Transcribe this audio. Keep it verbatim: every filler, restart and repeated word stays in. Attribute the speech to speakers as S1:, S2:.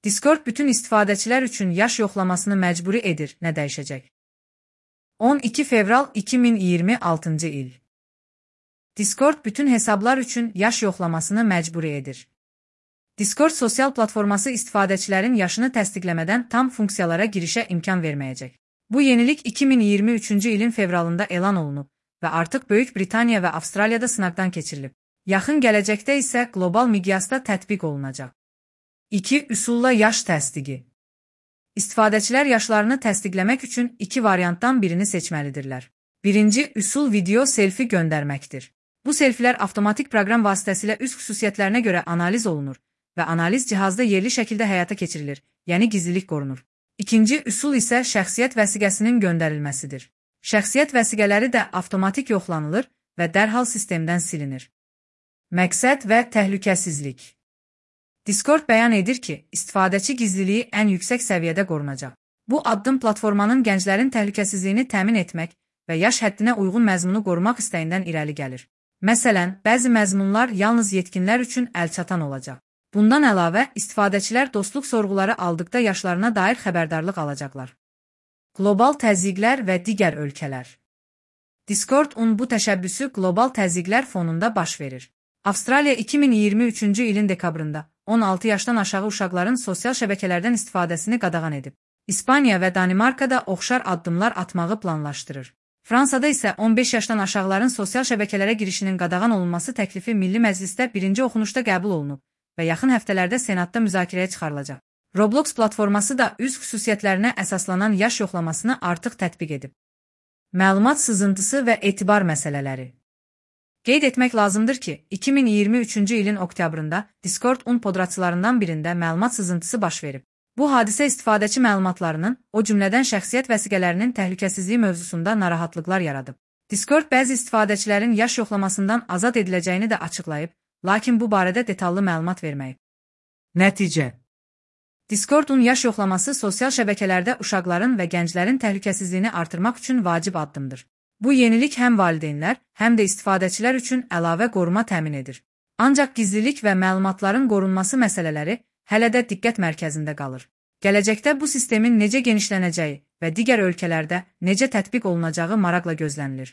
S1: Discord bütün istifadəçilər üçün yaş yoxlamasını məcburi edir. Nə dəyişəcək? on iki fevral iki min iyirmi altıncı il. Discord bütün hesablar üçün yaş yoxlamasını məcburi edir. Discord sosial platforması istifadəçilərin yaşını təsdiqləmədən tam funksiyalara girişə imkan verməyəcək. Bu yenilik iki min iyirmi üçüncü ilin fevralında elan olunub və artıq Böyük Britaniya və Avstraliyada sınaqdan keçirilib. Yaxın gələcəkdə isə qlobal miqyasda tətbiq olunacaq. iki Üsulla yaş təsdiqi. İstifadəçilər yaşlarını təsdiqləmək üçün iki variantdan birini seçməlidirlər. Birinci üsul video selfi göndərməkdir. Bu selfilər avtomatik proqram vasitəsilə üz xüsusiyyətlərinə görə analiz olunur və analiz cihazda yerli şəkildə həyata keçirilir, yəni gizlilik qorunur. İkinci üsul isə şəxsiyyət vəsiqəsinin göndərilməsidir. Şəxsiyyət vəsiqələri də avtomatik yoxlanılır və dərhal sistemdən silinir. Məqsəd və təhlükəsizlik. Discord bəyan edir ki, istifadəçi gizliliyi ən yüksək səviyyədə qorunacaq. Bu addım platformanın gənclərin təhlükəsizliyini təmin etmək və yaş həddinə uyğun məzmunu qorumaq istəyindən irəli gəlir. Məsələn, bəzi məzmunlar yalnız yetkinlər üçün əlçatan olacaq. Bundan əlavə, istifadəçilər dostluq sorğuları aldıqda yaşlarına dair xəbərdarlıq alacaqlar. Qlobal təzyiqlər və digər ölkələr. Discord-un bu təşəbbüsü qlobal təzyiqlər fonunda baş verir. Avstraliya iki min iyirmi üçüncü ilin dekabrında on altı yaşdan aşağı uşaqların sosial şəbəkələrdən istifadəsini qadağan edib. İspaniya və Danimarkada oxşar addımlar atmağı planlaşdırır. Fransada isə on beş yaşdan aşağıların sosial şəbəkələrə girişinin qadağan olunması təklifi Milli Məclisdə birinci oxunuşda qəbul olunub və yaxın həftələrdə Senatda müzakirəyə çıxarılacaq. Roblox platforması da üz xüsusiyyətlərinə əsaslanan yaş yoxlamasını artıq tətbiq edib. Məlumat sızıntısı və etibar məsələləri. Qeyd etmək lazımdır ki, iki min iyirmi üçüncü ilin oktyabrında Discord-un podratçılarından birində məlumat sızıntısı baş verib. Bu hadisə istifadəçi məlumatlarının, o cümlədən şəxsiyyət vəsiqələrinin təhlükəsizliyi mövzusunda narahatlıqlar yaradıb. Discord bəzi istifadəçilərin yaş yoxlamasından azad ediləcəyini də açıqlayıb, lakin bu barədə detallı məlumat verməyib. Nəticə. Discord-un yaş yoxlaması sosial şəbəkələrdə uşaqların və gənclərin təhlükəsizliyini artırmaq üçün vacib addımdır. Bu yenilik həm valideynlər, həm də istifadəçilər üçün əlavə qoruma təmin edir. Ancaq gizlilik və məlumatların qorunması məsələləri hələ də diqqət mərkəzində qalır. Gələcəkdə bu sistemin necə genişlənəcəyi və digər ölkələrdə necə tətbiq olunacağı maraqla gözlənilir.